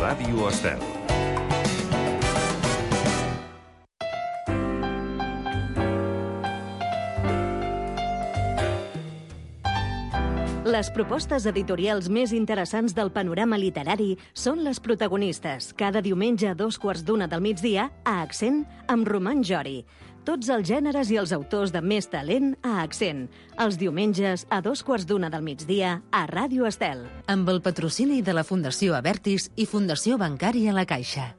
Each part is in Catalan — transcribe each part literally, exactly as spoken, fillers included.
Ràdio Estel. Les propostes editorials més interessants del panorama literari són les protagonistes, cada diumenge a dos quarts d'una del migdia, a Accent, amb Roman Jori. Tots els gèneres i els autors de més talent a Accent. Els diumenges a dos quarts d'una del migdia a Ràdio Estel. Amb el patrocini de la Fundació Abertis i Fundació Bancària La Caixa.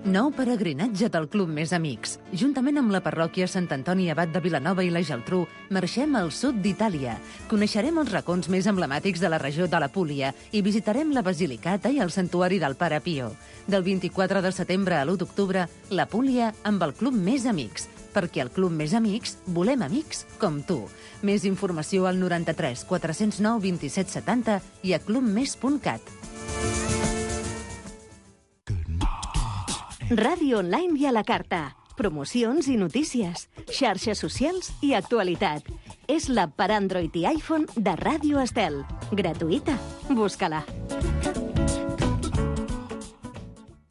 Nou peregrinatge del Club Més Amics. Juntament amb la parròquia Sant Antoni Abat de Vilanova i la Geltrú, marxem al sud d'Itàlia. Coneixerem els racons més emblemàtics de la regió de la Púlia i visitarem la Basilicata i el santuari del Pare Pio. Del vint-i-quatre de setembre a l'u d'octubre, la Púlia amb el Club Més Amics. Perquè al Club Més Amics volem amics com tu. Més informació al noranta-tres quatre-cents nou vint-i-set setanta i a clubmes punt cat. Ràdio online i a la carta. Promocions i notícies. Xarxes socials i actualitat. És l'app per Android i iPhone de Ràdio Estel. Gratuïta. Busca-la.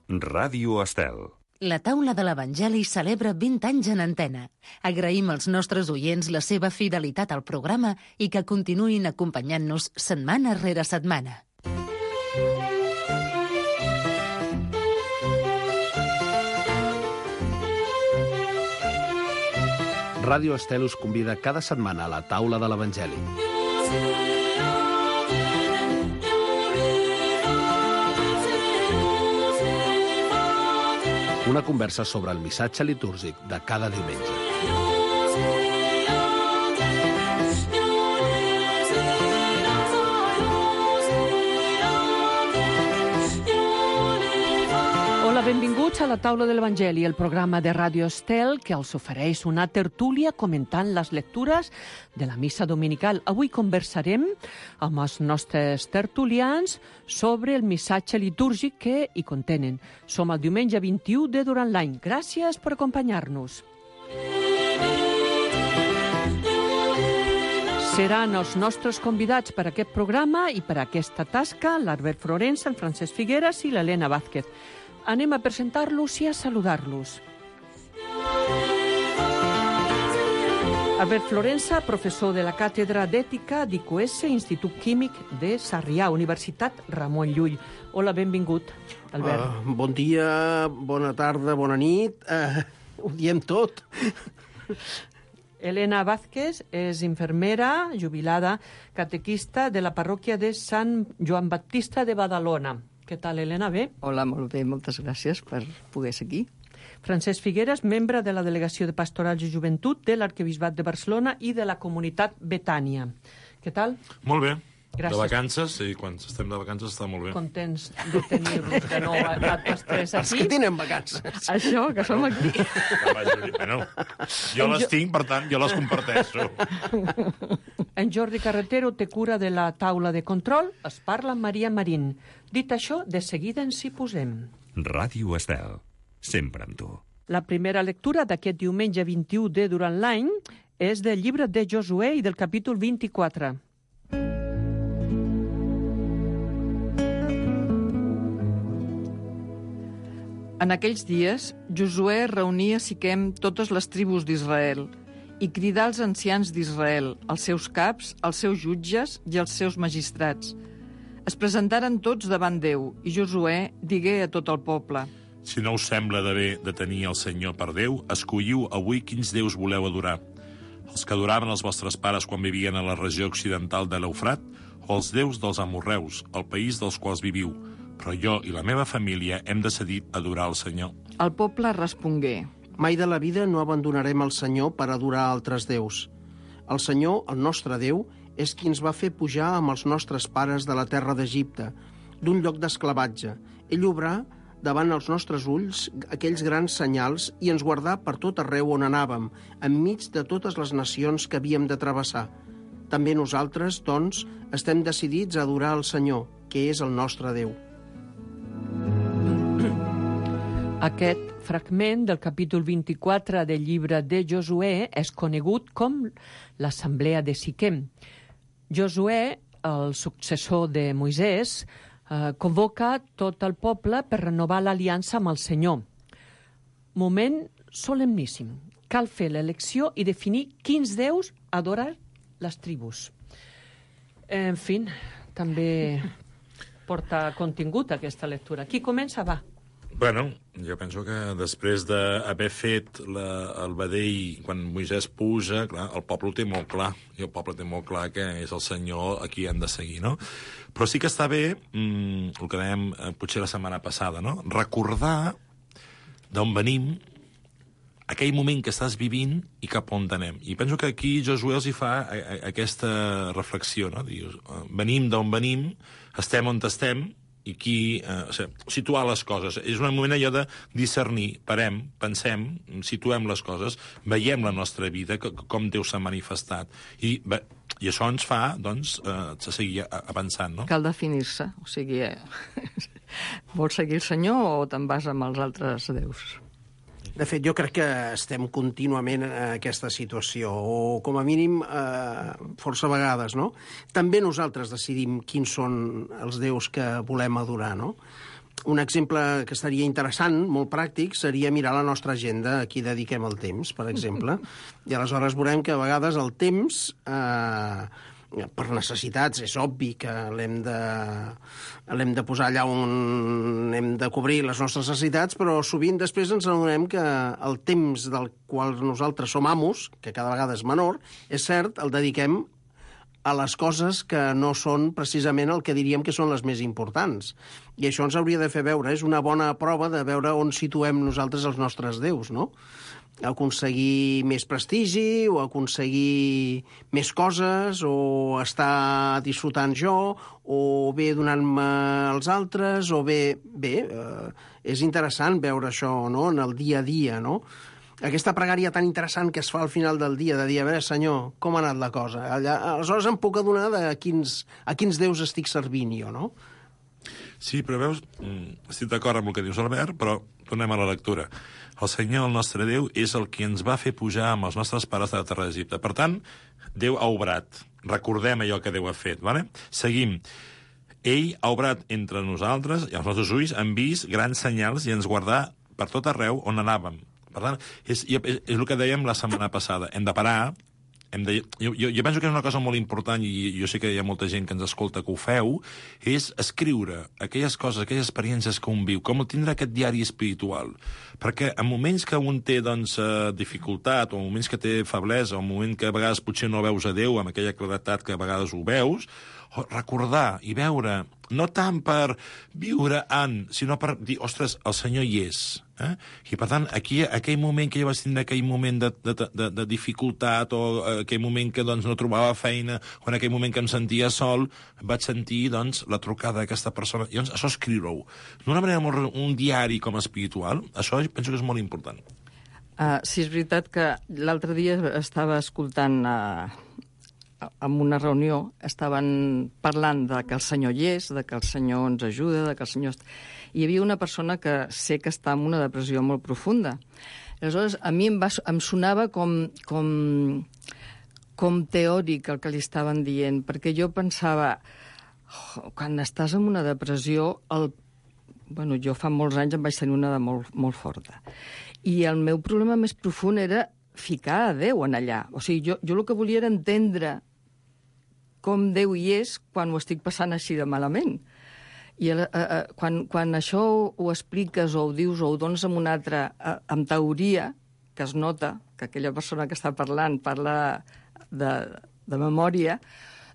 Ràdio Estel. La taula de l'Evangeli celebra vint anys en antena. Agraïm als nostres oients la seva fidelitat al programa i que continuïn acompanyant-nos setmana rere setmana. Ràdio Estel us convida cada setmana a la taula de l'Evangeli. Una conversa sobre el missatge litúrgic de cada diumenge. Hola, benvinguts a la taula de l'Evangeli, el programa de Ràdio Estel que els ofereix una tertúlia comentant les lectures de la missa dominical. Avui conversarem amb els nostres tertulians sobre el missatge litúrgic que hi contenen. Som el diumenge vint-i-u de durant l'any. Gràcies per acompanyar-nos. Seran els nostres convidats per a aquest programa i per a aquesta tasca l'Albert Florensa, el Francesc Figueras i l'Helena Vázquez. Anem a presentar-los i a saludar-los. Albert Florensa, professor de la Càtedra d'Ètica d'I Q S, Institut Químic de Sarrià, Universitat Ramon Llull. Hola, benvingut, Albert. Uh, bon dia, bona tarda, bona nit. Uh, ho diem tot. Helena Vázquez és infermera, jubilada, catequista de la parròquia de Sant Joan Baptista de Badalona. Què tal, Helena? Bé? Hola, molt bé, moltes gràcies per poder ser aquí. Francesc Figueras, membre de la Delegació de Pastorals i Joventut de l'Arquebisbat de Barcelona i de la Comunitat Betània. Què tal? Molt bé. Gràcies. De vacances, i quan estem de vacances està molt bé. Contents de tenir-los de nou a tots tres aquí. Els que tenen vacances. Això, que som aquí. Bueno, jo les tinc, per tant, jo les comparteixo. En Jordi Carretero té cura de la taula de control, es parla amb Maria Marín. Dit això, de seguida ens hi posem. Ràdio Estel. Sempre amb tu. La primera lectura d'aquest diumenge vint-i-u de durant l'any és del llibre de Josué i del capítol vint-i-quatre. En aquells dies, Josué reunia a Siquem totes les tribus d'Israel i cridà als ancians d'Israel, els seus caps, els seus jutges i els seus magistrats. Es presentaren tots davant Déu i Josué digué a tot el poble: Si no us sembla de bé de tenir el Senyor per Déu, escolliu avui quins déus voleu adorar. Els que adoraven els vostres pares quan vivien a la regió occidental de l'Eufrat o els déus dels amorreus, el país dels quals viviu. Però jo i la meva família hem decidit adorar el Senyor. El poble respongué: Mai de la vida no abandonarem el Senyor per adorar altres déus. El Senyor, el nostre Déu, és qui ens va fer pujar amb els nostres pares de la terra d'Egipte, d'un lloc d'esclavatge. Ell obrà davant els nostres ulls aquells grans senyals i ens guardà per tot arreu on anàvem, enmig de totes les nacions que havíem de travessar. També nosaltres, doncs, estem decidits a adorar el Senyor, que és el nostre Déu. Aquest fragment del capítol vint-i-quatre del llibre de Josué és conegut com l'Assemblea de Siquem. Josué, el successor de Moisès, eh, convoca tot el poble per renovar l'aliança amb el Senyor. Moment solemníssim. Cal fer l'elecció i definir quins déus adoren les tribus. En fi, també porta contingut aquesta lectura. Qui comença? Va. Bueno, jo penso que després d'haver fet la, el vedell, quan Moisès puja, clar, el poble ho té molt clar, i el poble té molt clar que és el Senyor a qui han de seguir, no? Però sí que està bé, mmm, el que dèiem eh, potser la setmana passada, no? Recordar d'on venim, aquell moment que estàs vivint i cap on anem. I penso que aquí Josué els hi fa a, a, aquesta reflexió, no? Dius, venim d'on venim, estem on estem, i aquí, eh, o sigui, situar les coses. És un moment allò de discernir, parem, pensem, situem les coses, veiem la nostra vida, com Déu s'ha manifestat. I, bé, i això ens fa, doncs, eh, seguir avançant, no? Cal definir-se. O sigui, eh, vols seguir el Senyor o te'n vas amb els altres déus? De fet, jo crec que estem contínuament en aquesta situació, o com a mínim eh, força vegades, no? També nosaltres decidim quins són els déus que volem adorar, no? Un exemple que estaria interessant, molt pràctic, seria mirar la nostra agenda, a qui dediquem el temps, per exemple, i aleshores veurem que a vegades el temps... Eh, per necessitats, és obvi que l'hem de, l'hem de posar allà on hem de cobrir les nostres necessitats, però sovint després ens adonem que el temps del qual nosaltres som amos, que cada vegada és menor, és cert, el dediquem a les coses que no són precisament el que diríem que són les més importants. I això ens hauria de fer veure, és una bona prova de veure on situem nosaltres els nostres déus, no? Aconseguir més prestigi, o aconseguir més coses, o estar disfrutant jo, o bé donant-me als altres, o bé... Bé, eh, és interessant veure això, no?, en el dia a dia, no? Aquesta pregària tan interessant que es fa al final del dia, de dir, a veure, Senyor, com ha anat la cosa? Allà, aleshores em puc adonar de quins, a quins déus estic servint jo, no? Sí, però veus, estic d'acord amb el que dius, Albert, però tornem a la lectura. El Senyor, el nostre Déu, és el qui ens va fer pujar amb els nostres pares de la terra d'Egipte. Per tant, Déu ha obrat. Recordem allò que Déu ha fet, vale? Seguim. Ell ha obrat entre nosaltres, i els nostres ulls han vist grans senyals i ens guardà per tot arreu on anàvem. Per tant, és, és, és el que dèiem la setmana passada. Hem de parar, hem de, jo, jo, jo penso que és una cosa molt important, i jo sé que hi ha molta gent que ens escolta que ho feu, és escriure aquelles coses, aquelles experiències que un viu, com tindre aquest diari espiritual. Perquè en moments que un té, doncs, dificultat, o en moments que té feblesa, o en moment que a vegades potser no veus a Déu amb aquella claretat que a vegades ho veus, recordar i veure, no tant per viure en, sinó per dir, ostres, el Senyor hi és. Eh? I, per tant, aquí, aquell moment que jo vaig tindre aquell moment de, de, de, de dificultat, o aquell moment que doncs, no trobava feina, o en aquell moment que em sentia sol, vaig sentir doncs, la trucada d'aquesta persona. I doncs, això escriure-ho. D'una manera molt... un diari com a espiritual, això penso que és molt important. Uh, sí, és veritat que l'altre dia estava escoltant... Uh... en una reunió estaven parlant de que el Senyor hi és, de que el Senyor ens ajuda, de que el Senyor... I hi havia una persona que sé que està en una depressió molt profunda. Aleshores, a mi em, va, em sonava com, com, com teòric el que li estaven dient, perquè jo pensava, oh, quan estàs en una depressió, el... bueno, jo fa molts anys em vaig tenir una de molt, molt forta. I el meu problema més profund era ficar a Déu en allà. O sigui, jo, jo el que volia era entendre com Déu hi és quan ho estic passant així de malament. I eh, eh, quan, quan això ho expliques o ho dius o ho dones amb una altra, eh, amb teoria, que es nota que aquella persona que està parlant parla de, de memòria,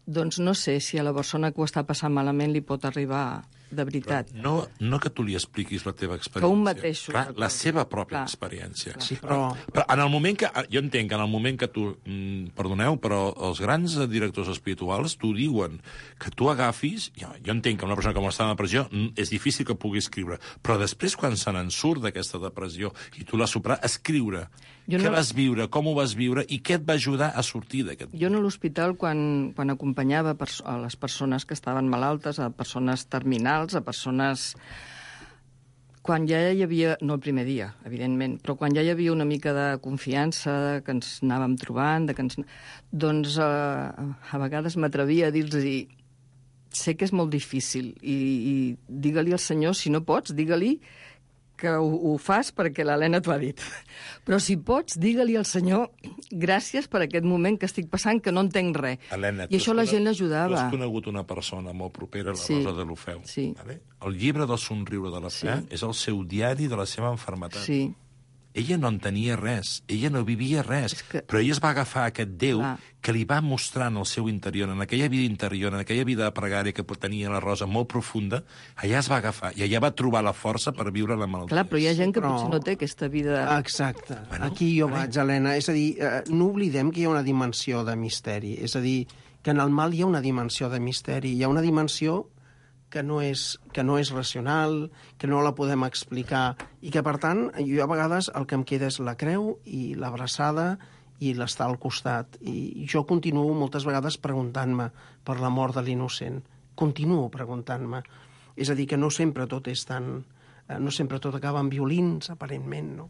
doncs no sé si a la persona que ho està passant malament li pot arribar de veritat. Però no, no que tu li expliquis la teva experiència. Que un mateix. Clar, la seva pròpia Clar. experiència. Sí, però... però en el moment que... Jo entenc que en el moment que tu... Mm, perdoneu, però els grans directors espirituals t'ho diuen, que tu agafis... Jo, jo entenc que una persona que està en depressió mm, és difícil que pugui escriure, però després, quan se n'en surt d'aquesta depressió i tu l'has superat, escriure. Jo què no... vas viure, com ho vas viure i què et va ajudar a sortir d'aquest... Jo a l'hospital, quan, quan acompanyava a les persones que estaven malaltes, a persones terminals, a persones quan ja hi havia, no el primer dia, evidentment, però quan ja hi havia una mica de confiança, que ens anàvem trobant, de que ens... doncs eh, a vegades m'atrevia a dir-los, sé que és molt difícil, i, i digue-li al senyor, si no pots, digue-li que ho, ho fas perquè l'Helena t'ho ha dit. Però si pots, digue-li al senyor gràcies per aquest moment que estic passant, que no entenc res. Helena, I això la gent l'ajudava. Tu has conegut una persona molt propera, la Sí. Rosa de l'Ofeu. Sí. Vale? El llibre del somriure de la fe Sí. és el seu diari de la seva malaltia. Sí. Ella no entenia res, ella no vivia res, que... però ella es va agafar aquest Déu Clar. que li va mostrar en el seu interior, en aquella vida interior, en aquella vida de pregària que tenia la Rosa molt profunda, allà es va agafar, i allà va trobar la força per viure la malaltia. Clar, però hi ha gent que Però- potser no té aquesta vida... Exacte. Bueno, Aquí jo vale. vaig, Helena. És a dir, eh, no oblidem que hi ha una dimensió de misteri. És a dir, que en el mal hi ha una dimensió de misteri. Hi ha una dimensió que no és, que no és racional, que no la podem explicar, i que, per tant, jo a vegades el que em queda és la creu i l'abraçada i l'estar al costat. I jo continuo moltes vegades preguntant-me per la mort de l'innocent. Continuo preguntant-me. És a dir, que no sempre tot és tan... eh, no sempre tot acaba amb violins, aparentment, no?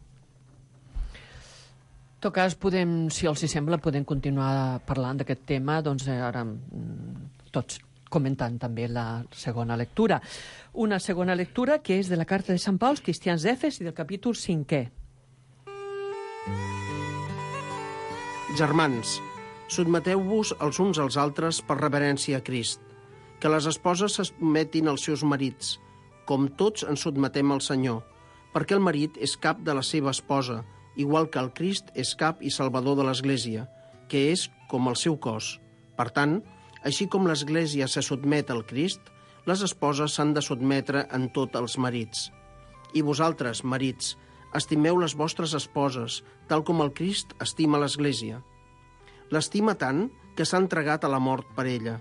En tot cas, podem, si els hi sembla, podem continuar parlant d'aquest tema, doncs eh, ara mm, tots comentant també la segona lectura. Una segona lectura que és de la carta de Sant Pau als cristians d'Efes i del capítol cinquè. Germans, sotmeteu-vos els uns als altres per reverència a Crist, que les esposes se sotmetin als seus marits, com tots ens sotmetem al Senyor, perquè el marit és cap de la seva esposa, igual que el Crist és cap i salvador de l'Església, que és com el seu cos. Per tant, així com l'Església se sotmet al Crist, les esposes s'han de sotmetre en tot als marits. I vosaltres, marits, estimeu les vostres esposes, tal com el Crist estima l'Església. L'estima tant que s'ha entregat a la mort per ella.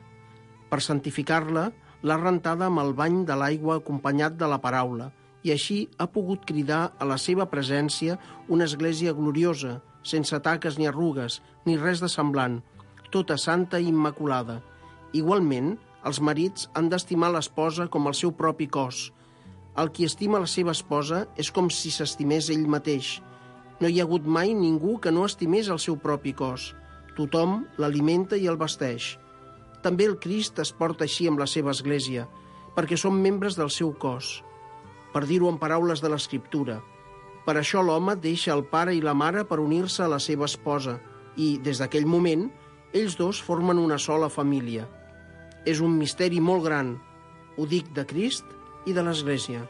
Per santificar-la, l'ha rentada amb el bany de l'aigua acompanyat de la paraula, i així ha pogut cridar a la seva presència una església gloriosa, sense taques ni arrugues, ni res de semblant, tota santa i immaculada. Igualment, els marits han d'estimar l'esposa com el seu propi cos. El qui estima la seva esposa és com si s'estimés ell mateix. No hi ha hagut mai ningú que no estimés el seu propi cos. Tothom l'alimenta i el vesteix. També el Crist es porta així amb la seva església, perquè som membres del seu cos. Per dir-ho en paraules de l'Escriptura, per això l'home deixa el pare i la mare per unir-se a la seva esposa i, des d'aquell moment, ells dos formen una sola família. És un misteri molt gran, ho dic de Crist i de l'Església.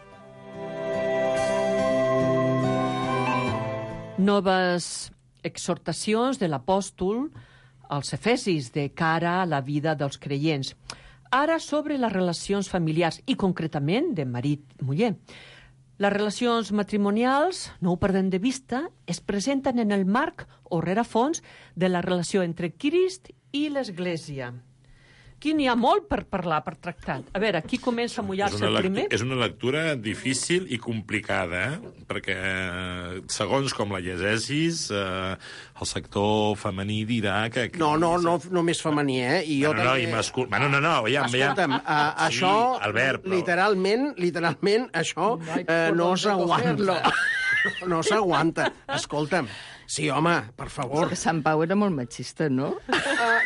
Noves exhortacions de l'apòstol als efesis de cara a la vida dels creients. Ara sobre les relacions familiars i concretament de marit-muller. Les relacions matrimonials, no ho perdem de vista, es presenten en el marc o rerefons de la relació entre Crist i l'Església. Aquí n'hi ha molt per parlar, per tractar. A veure, qui comença a mullar-se el primer? És una lectura difícil i complicada, eh? perquè eh, segons com la llegeixis, eh, el sector femení dirà que... que No, no, no només femení, eh? I jo bueno, no, també... i mascul... bueno, no, no, ja, Escolta'm, ja... uh, això, sí, Albert, però... literalment, literalment, això No hay uh, por no dónde s'aguanta. cogerlo. No s'aguanta. Escolta'm, sí, home, per favor. Que Sant Pau era molt machista, no?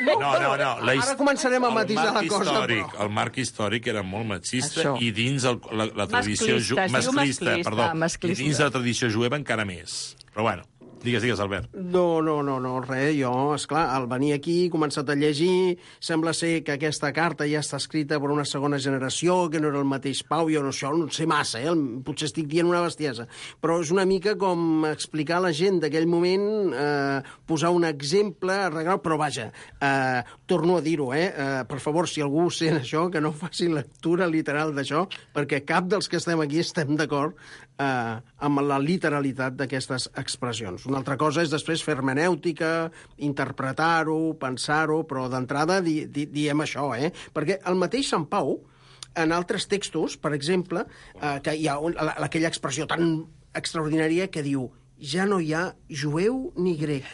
No, no, no. La his... Ara començarem a matisar la marc cosa, històric, però... El marc històric era molt machista Això. i dins el, la, la tradició... Masclista, ju- es diu masclista, masclista. perdó. Ah, masclista. I dins la tradició jueva encara més. Però bueno, digues, digues, Albert. No, no, no, no, res, jo, esclar, al venir aquí he començat a llegir, sembla ser que aquesta carta ja està escrita per una segona generació, que no era el mateix Pau, jo no, això no sé massa, eh? Potser estic dient una bestiesa, però és una mica com explicar a la gent d'aquell moment, eh, posar un exemple, arreglar, però vaja, eh, torno a dir-ho, eh? eh, per favor, si algú sent això, que no faci lectura literal d'això, perquè cap dels que estem aquí estem d'acord eh, amb la literalitat d'aquestes expressions. Una altra cosa és després fer hermenèutica, interpretar-ho, pensar-ho, però d'entrada di, di, diem això, eh? Perquè el mateix Sant Pau, en altres textos, per exemple, eh, que hi ha un, la, aquella expressió tan extraordinària que diu ja no hi ha jueu ni grec,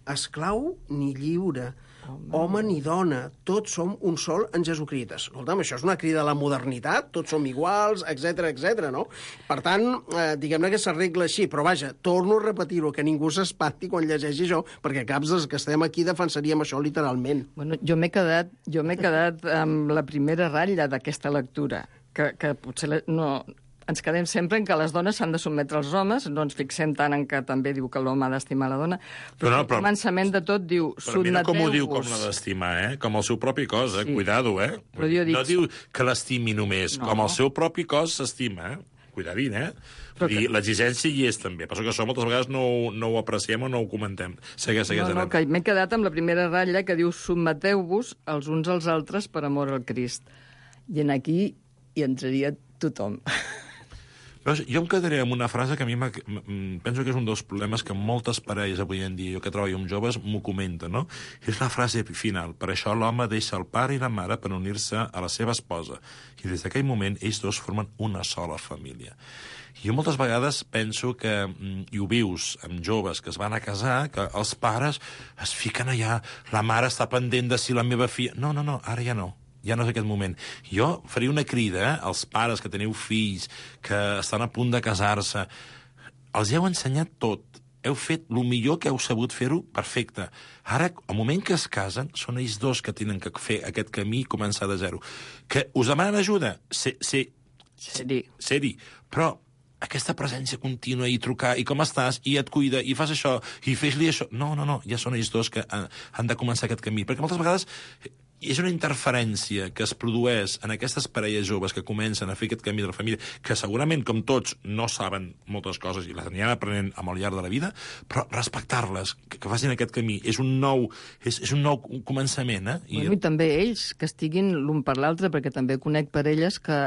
esclau ni lliure, home, home ni dona, tots som un sol en Jesucrist. Escolta'm, això és una crida a la modernitat, tots som iguals, etc etc. no? Per tant, eh, diguem-ne que s'arregla així, però vaja, torno a repetir-ho, que ningú s'espanti quan llegeixi això, perquè caps dels que estem aquí defensaríem això literalment. Bueno, jo m'he quedat, jo m'he quedat amb la primera ratlla d'aquesta lectura, que, que potser la, no... Ens quedem sempre en que les dones s'han de sotmetre als homes, no ens fixem tant en que també diu que l'home ha d'estimar la dona, però, però no, però al començament de tot diu però mira com ho diu, com l'ha d'estimar, eh? Com el seu propi cos, eh? Sí. Cuidado, eh? Però jo dic... No diu que l'estimi només, no. Com el seu propi cos s'estima, eh? Cuidadín, eh? Però que... l'exigència hi és, també. Però que això moltes vegades no, no ho apreciem o no ho comentem. Segueix, segueix. No, no, que m'he quedat amb la primera ratlla que diu sotmeteu-vos els uns als altres per amor al Crist. I en aquí hi entraria tothom. Veus, jo em quedaré amb una frase que a mi penso que és un dels problemes que moltes parelles avui en dia, jo que treballo amb joves, m'ho comenten, no? És la frase final. Per això l'home deixa el pare i la mare per unir-se a la seva esposa. I des d'aquell moment ells dos formen una sola família. I jo moltes vegades penso que, i ho vius amb joves que es van a casar, que els pares es fiquen allà, la mare està pendent de si la meva filla... No, no, no, ara ja no. Ja no és aquest moment. Jo faria una crida eh, als pares que teniu fills, que estan a punt de casar-se. Els heu ensenyat tot. Heu fet el millor que heu sabut fer-ho perfecte. Ara, al moment que es casen, són ells dos que tenen que fer aquest camí i començar de zero. Que us demanen ajuda? Ser, ser, ser-hi. Ser-hi. Però aquesta presència contínua i trucar, i com estàs, i et cuida, i fas això, i fes-li això... No, no, no, ja són ells dos que han, han de començar aquest camí. Perquè moltes vegades és una interferència que es produeix en aquestes parelles joves que comencen a fer aquest camí de la família, que segurament, com tots, no saben moltes coses i les aniran aprenent amb el llarg de la vida, però respectar-les, que, que facin aquest camí, és un nou, és, és un nou començament. Eh? I... Bueno, I també ells, que estiguin l'un per l'altre, perquè també conec parelles que...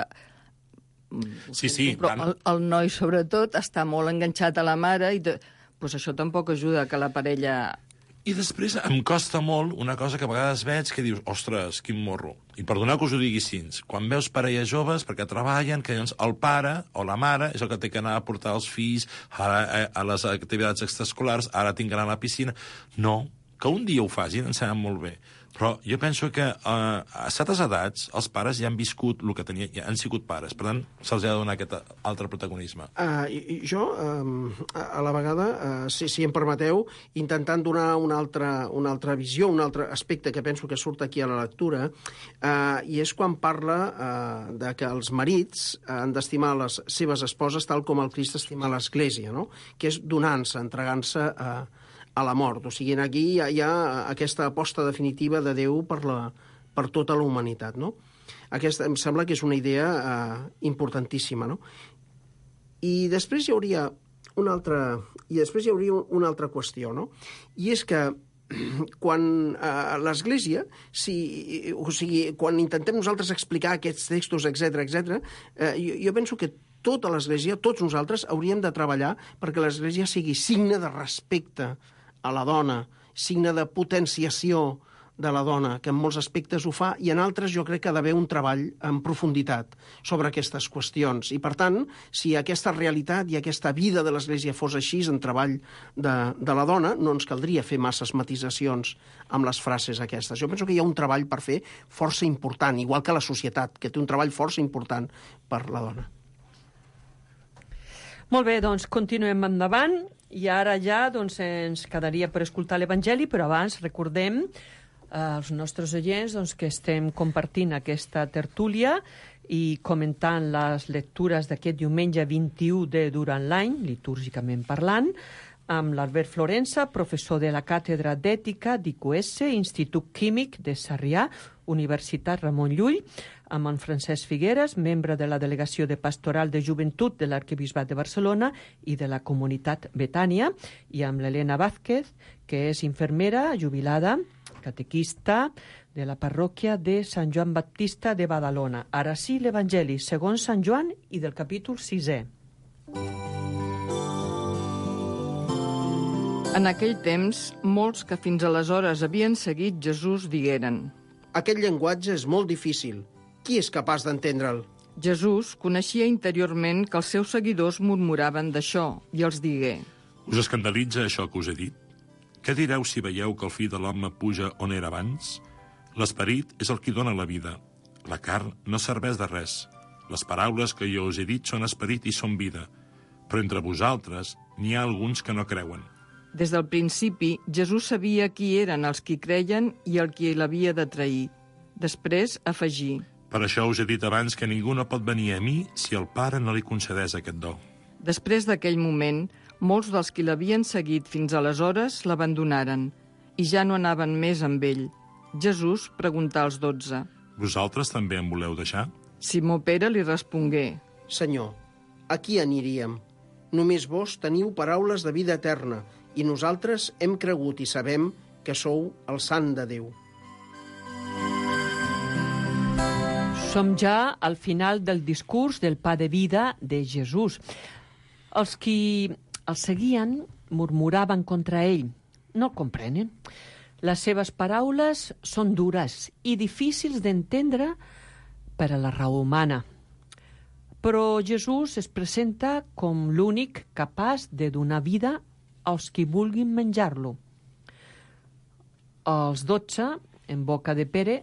Sí, sí. Però el, el noi, sobretot, està molt enganxat a la mare i de... pues això tampoc ajuda que la parella... I després em costa molt una cosa que a vegades veig que dius, ostres, quin morro. I perdoneu que us ho digui així. Quan veus parelles joves, perquè treballen, que llavors el pare o la mare és el que té que anar a portar els fills a, a les activitats extraescolars, ara tinc que anar a la piscina. No, que un dia ho facin, em sembla molt bé. Però jo penso que eh, a certes edats els pares ja han viscut el que tenien, ja han sigut pares. Per tant, se'ls ha de donar aquest altre protagonisme. Uh, i, jo, um, a la vegada, uh, si, si em permeteu, intentant donar una altra, una altra visió, un altre aspecte que penso que surt aquí a la lectura, uh, i és quan parla uh, de que els marits han d'estimar les seves esposes tal com el Crist estima l'Església, no? Que és donant-se, entregant-se a... Uh, a la mort. O sigui, aquí hi ha, hi ha aquesta aposta definitiva de Déu per, la, per tota la humanitat, no? Aquesta, em sembla que és una idea eh, importantíssima, no? I després hi hauria una altra, i després hi hauria una altra qüestió, no? I és que quan eh, l'Església, si, o sigui, quan intentem nosaltres explicar aquests textos, etc etc, eh, jo, jo penso que tota l'Església, tots nosaltres, hauríem de treballar perquè l'Església sigui signe de respecte a la dona, signe de potenciació de la dona, que en molts aspectes ho fa, i en altres jo crec que ha d'haver un treball en profunditat sobre aquestes qüestions. I, per tant, si aquesta realitat i aquesta vida de l'Església fos així, en treball de, de la dona, no ens caldria fer masses matisacions amb les frases aquestes. Jo penso que hi ha un treball per fer força important, igual que la societat, que té un treball força important per la dona. Molt bé, doncs continuem endavant i ara ja doncs, ens quedaria per escoltar l'Evangeli, però abans recordem eh, als nostres oients doncs, que estem compartint aquesta tertúlia i comentant les lectures d'aquest diumenge vint-i-u de durant l'any, litúrgicament parlant, amb l'Albert Florença, professor de la Càtedra d'Ètica d'I Q S, Institut Químic de Sarrià, Universitat Ramon Llull, amb en Francesc Figueres, membre de la Delegació de Pastoral de Joventut de l'Arquebisbat de Barcelona i de la Comunitat Betània, i amb l'Helena Vázquez, que és infermera jubilada, catequista de la parròquia de Sant Joan Baptista de Badalona. Ara sí, l'Evangeli segons Sant Joan i del capítol sisè. En aquell temps, molts que fins aleshores havien seguit Jesús digueren: Aquest llenguatge és molt difícil. Qui és capaç d'entendre'l? Jesús coneixia interiorment que els seus seguidors murmuraven d'això i els digué: Us escandalitza això que us he dit? Què direu si veieu que el fill de l'home puja on era abans? L'esperit és el qui dona la vida. La carn no serveix de res. Les paraules que jo us he dit són esperit i són vida. Però entre vosaltres n'hi ha alguns que no creuen. Des del principi, Jesús sabia qui eren els qui creien i el qui l'havia de trair. Després, afegí: Per això us he dit abans que ningú no pot venir a mi si el Pare no li concedeix aquest do. Després d'aquell moment, molts dels qui l'havien seguit fins aleshores l'abandonaren i ja no anaven més amb ell. Jesús preguntà als dotze: Vosaltres també em voleu deixar? Simó Pere li respongué: Senyor, a qui aniríem? Només vos teniu paraules de vida eterna i nosaltres hem cregut i sabem que sou el Sant de Déu. Som ja al final del discurs del pa de vida de Jesús. Els qui el seguien murmuraven contra ell. No el comprenen. Les seves paraules són dures i difícils d'entendre per a la raó humana. Però Jesús es presenta com l'únic capaç de donar vida als qui vulguin menjar-lo. Els dotze, en boca de Pere,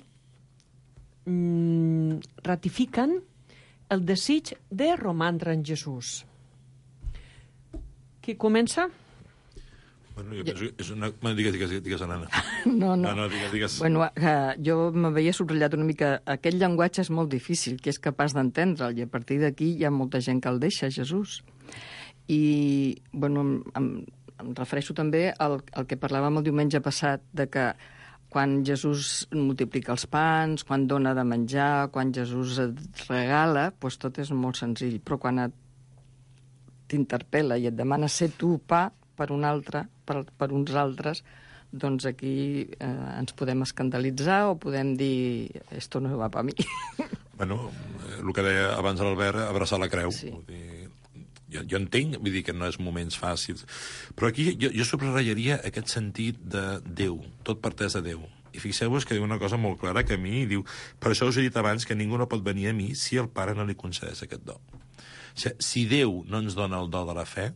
ratifiquen el desig de romandre en Jesús. Qui comença? Bueno, jo penso que és una... Bueno, digues, digues, digues, Anna. No, no. No, no, digues, digues. Bueno, eh, jo m'havia subratllat una mica... Aquest llenguatge és molt difícil, que és capaç d'entendre'l, i a partir d'aquí hi ha molta gent que el deixa, Jesús. I, bueno, em, em refereixo també al, al que parlàvem el diumenge passat, de que quan Jesús multiplica els pans, quan dona de menjar, quan Jesús et regala, doncs tot és molt senzill. Però quan et t'interpel·la i et demana ser tu pa per un altre, per, per uns altres, doncs aquí eh, ens podem escandalitzar o podem dir esto no va per mi. Bueno, el que deia abans l'Albert, abraçar la creu. Sí. Vull dir, jo, jo entenc, vull dir que no és moments fàcils, però aquí jo, jo subratllaria aquest sentit de Déu, tot parteix de Déu. I fixeu-vos que diu una cosa molt clara que a mi diu, per això us he dit abans que ningú no pot venir a mi si el Pare no li concedeix aquest do. O sigui, si Déu no ens dona el do de la fe,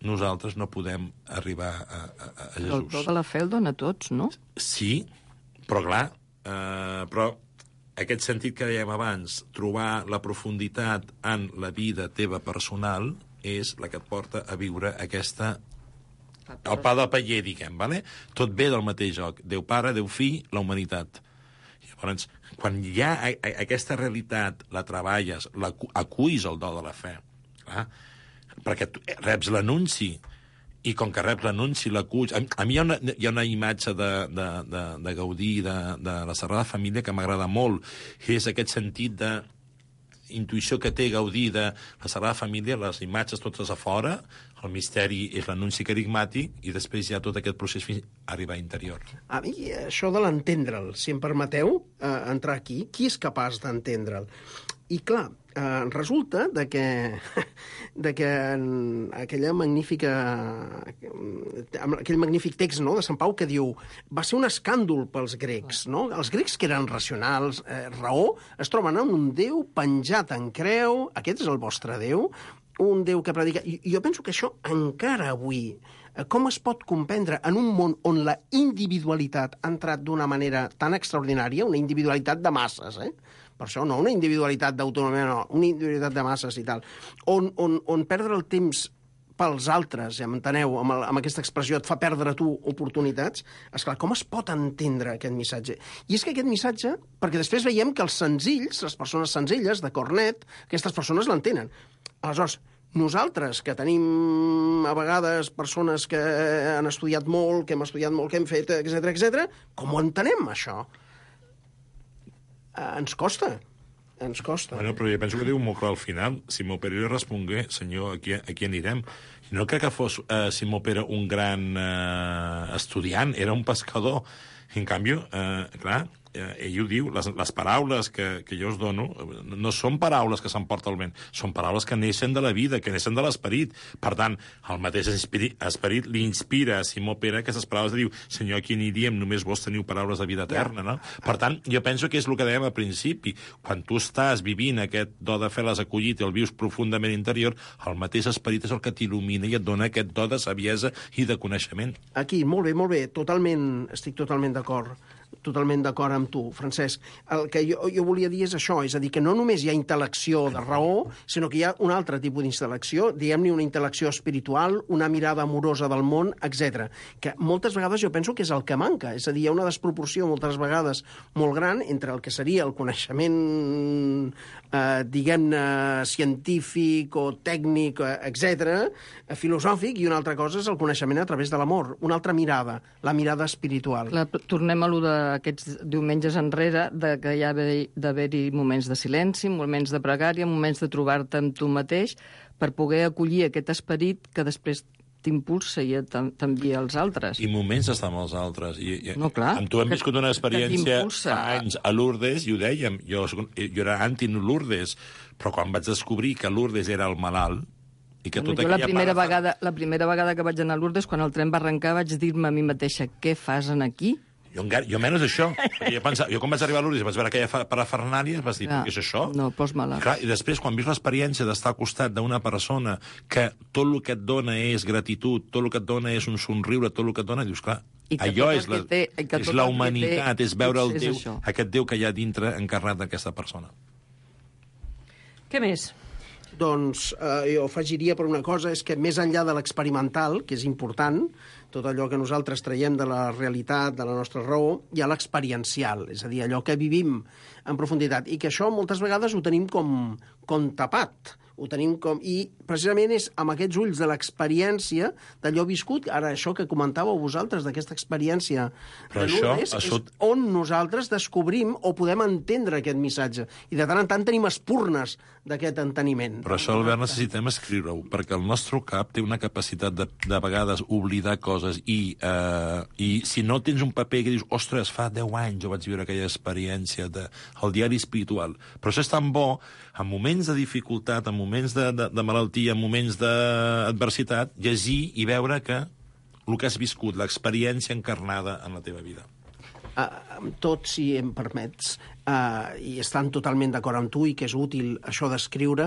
nosaltres no podem arribar a, a, a Jesús. El do de la fe el dona a tots, no? Sí, però clar, eh, però aquest sentit que dèiem abans, trobar la profunditat en la vida teva personal, és la que et porta a viure aquesta... El pa del paller, diguem, vale? Tot ve del mateix joc. Déu Pare, Déu Fill, la humanitat. Llavors, quan hi ha a, a, aquesta realitat, la treballes, la, aculls el do de la fe, clar, perquè tu reps l'anunci, i com que reps l'anunci, l'aculls... A, a mi hi ha una, hi ha una imatge de, de, de, de Gaudí, de, de la Sagrada Família, que m'agrada molt, que és aquest sentit de intuïció que té Gaudí de la Sagrada Família, les imatges totes a fora, el misteri és l'anunci carigmàtic, i després hi ha tot aquest procés fins a arribar a interior. A mi, això de l'entendre'l, si em permeteu eh, entrar aquí, qui és capaç d'entendre'l? I clar, eh, resulta de que, de que en aquella magnífica, aquell magnífic text, no, de Sant Pau que diu va ser un escàndol pels grecs, no? Els grecs que eren racionals, eh, raó, es troben amb un Déu penjat en creu, aquest és el vostre Déu, un Déu que predica... I jo penso que això encara avui, com es pot comprendre en un món on la individualitat ha entrat d'una manera tan extraordinària, una individualitat de masses, eh? Per això no, una individualitat d'autonomia, no, una individualitat de masses i tal, on, on, on perdre el temps pels altres, ja m'enteneu, amb, el, amb aquesta expressió, et fa perdre tu oportunitats, esclar, com es pot entendre aquest missatge? I és que aquest missatge, perquè després veiem que els senzills, les persones senzilles, de cor net, aquestes persones l'entenen. Aleshores, nosaltres, que tenim a vegades persones que han estudiat molt, que hem estudiat molt, que hem fet, etcètera, etcètera, com ho entenem, això? Eh, ens costa, ens costa. Bueno, però jo penso que diu molt clar al final. Simó Pere li respongué, senyor, aquí, aquí anirem. No crec que fos eh, Simó Pere un gran eh, estudiant, era un pescador. En canvi, eh, clar, eh, ell ho diu, les, les paraules que, que jo us dono no són paraules que s'emporta el vent, són paraules que neixen de la vida, que neixen de l'esperit. Per tant, el mateix esperit, esperit li inspira a Simó Pere aquestes paraules de diu, senyor, aquí aniríem, només vos teniu paraules de vida eterna, no? Per tant, jo penso que és el que dèiem al principi. Quan tu estàs vivint aquest do de fe l'has acollit i el vius profundament interior, el mateix esperit és el que t'il·lumina i et dona aquest do de saviesa i de coneixement. Aquí, molt bé, molt bé, totalment, estic totalment d'acord. Totalment d'acord amb tu, Francesc. El que jo, jo volia dir és això, és a dir, que no només hi ha intel·lecció de raó, sinó que hi ha un altre tipus d'intel·lecció, diguem-ne una intel·lecció espiritual, una mirada amorosa del món, etcètera. Que moltes vegades jo penso que és el que manca, és a dir, hi ha una desproporció moltes vegades molt gran entre el que seria el coneixement, eh, diguem-ne, científic o tècnic, etcètera, filosòfic, i una altra cosa és el coneixement a través de l'amor, una altra mirada, la mirada espiritual. Clar, tornem a lo d'aquests diumenges enrere, de que hi ha d'haver-hi moments de silenci, moments de pregària, moments de trobar-te amb tu mateix, per poder acollir aquest esperit que després t'impulsa i t'envia als altres. I moments d'estar amb els altres. I, i, no, clar. Amb tu hem viscut una experiència fa anys a Lourdes, i ho dèiem, jo, jo era anti-Lourdes, però quan vaig descobrir que Lourdes era el malalt, i que tota jo la primera, part... vegada, la primera vegada que vaig anar a Lourdes, quan el tren va arrencar, vaig dir-me a mi mateixa, què fas en aquí? Jo, jo menys això. Jo, pensava, jo quan vaig arribar a Lourdes i vaig veure aquella parafernàlia, vas dir, què és això? No, pols malalt. Clar, i després, quan vius l'experiència d'estar al costat d'una persona que tot el que et dona és gratitud, tot el que et dona és un somriure, tot el que et dona, dius, clar, allò és la, té, és la humanitat, és veure el Déu, això. Aquest Déu que hi ha dintre encarnat d'aquesta persona. Què més? Doncs eh, jo afegiria per una cosa, és que més enllà de l'experimental, que és important, tot allò que nosaltres traiem de la realitat, de la nostra raó, hi ha l'experiencial, és a dir, allò que vivim en profunditat, i que això moltes vegades ho tenim com, com tapat, ho tenim com... I precisament és amb aquests ulls de l'experiència, d'allò viscut, ara això que comentàveu vosaltres, d'aquesta experiència Però de Lourdes, això, això... és on nosaltres descobrim o podem entendre aquest missatge. I de tant en tant tenim espurnes d'aquest enteniment. Però això, Albert, necessitem escriure-ho, perquè el nostre cap té una capacitat de, de vegades oblidar coses i, eh, i si no tens un paper que dius, ostres, fa deu anys jo vaig viure aquella experiència del de, diari espiritual. Però això és tan bo, en moments de dificultat, en moments de, de, de malaltia, en moments d'adversitat, llegir i veure que el que has viscut, l'experiència encarnada en la teva vida. Uh, tot, si em permets, uh, i estan totalment d'acord amb tu i que és útil això d'escriure,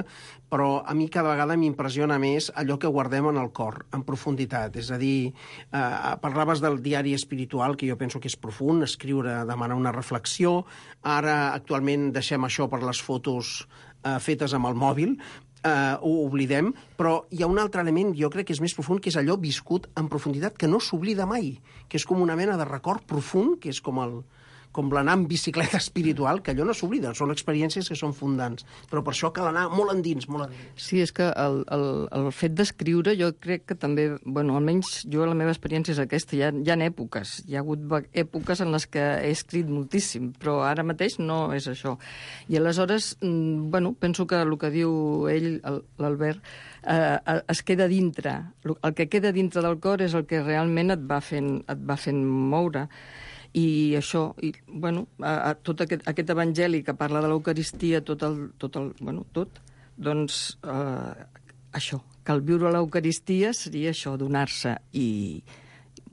però a mi cada vegada m'impressiona més allò que guardem en el cor, en profunditat. És a dir, uh, parlaves del diari espiritual, que jo penso que és profund, escriure demana una reflexió. Ara, actualment, deixem això per les fotos uh, fetes amb el mòbil, Uh, ho oblidem, però hi ha un altre element, jo crec que és més profund, que és allò viscut en profunditat, que no s'oblida mai, que és com una mena de record profund, que és com el com l'anar en bicicleta espiritual, que allò no s'oblida, són experiències que són fundants, però per això cal anar molt endins, molt endins. Sí, és que el, el, el fet d'escriure jo crec que també, bueno, almenys jo la meva experiència és aquesta, hi ha, hi ha èpoques, hi ha hagut èpoques en les que he escrit moltíssim, però ara mateix no és això. I aleshores, bueno, penso que el que diu ell, l'Albert, eh, es queda dintre. El que queda dintre del cor és el que realment et va fent, et va fent moure. I això, i, bueno, a, a, tot aquest, aquest evangeli que parla de l'Eucaristia, tot el, tot el, bueno, tot, doncs eh, això, que el viure l'Eucaristia seria això, donar-se i...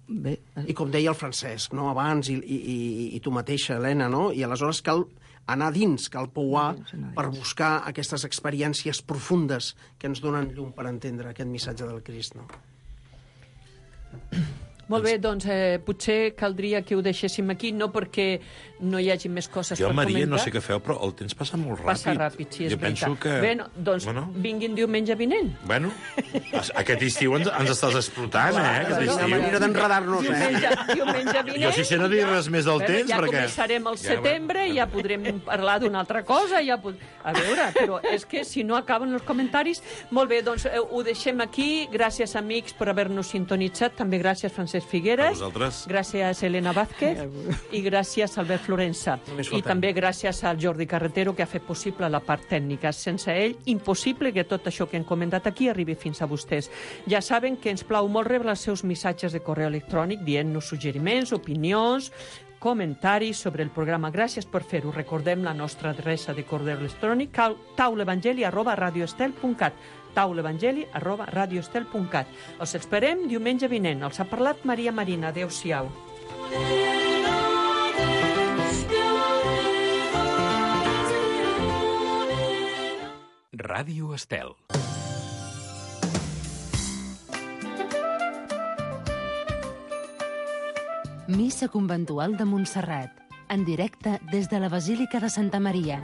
Bé, I com deia el Francesc, no?, abans, i, i, i, i tu mateixa, Helena, no?, i aleshores cal anar dins, cal pouar per buscar aquestes experiències profundes que ens donen llum per entendre aquest missatge del Crist, no? Molt bé, doncs eh, potser caldria que ho deixéssim aquí, no perquè no hi hagi més coses jo, per Maria, comentar. Jo, Maria, no sé què feu, però el temps passa molt ràpid. Passa ràpid, sí, és jo veritat. Penso que... Bé, no, doncs bueno. Vinguin diumenge vinent. Bueno, aquest estiu ens, ens estàs explotant, eh? Aquest és una manera d'enredar-nos, eh? Diumenge, diumenge vinent... Jo si sé no dir res més del temps, ja perquè... Ja començarem al setembre, ja, ja podrem parlar d'una altra cosa, ja pod... A veure, però és que si no acaben els comentaris... Molt bé, doncs eh, ho deixem aquí. Gràcies, amics, per haver-nos sintonitzat. També gràcies, Francesc Francesc A Figueres, vosaltres. gràcies Elena Vázquez i gràcies Albert Florença. Només I faltem. també gràcies al Jordi Carretero, que ha fet possible la part tècnica. Sense ell, impossible que tot això que hem comentat aquí arribi fins a vostès. Ja saben que ens plau molt rebre els seus missatges de correu electrònic dient-nos suggeriments, opinions, comentaris sobre el programa. Gràcies per fer-ho. Recordem la nostra adreça de correu electrònic, taulevangeli arroba radioestel punt cat. taulevangeli arroba radioestel punt cat. Els esperem diumenge vinent. Els ha parlat Maria Marina. Adéu-siau. Ràdio Estel. Missa conventual de Montserrat, en directe des de la Basílica de Santa Maria.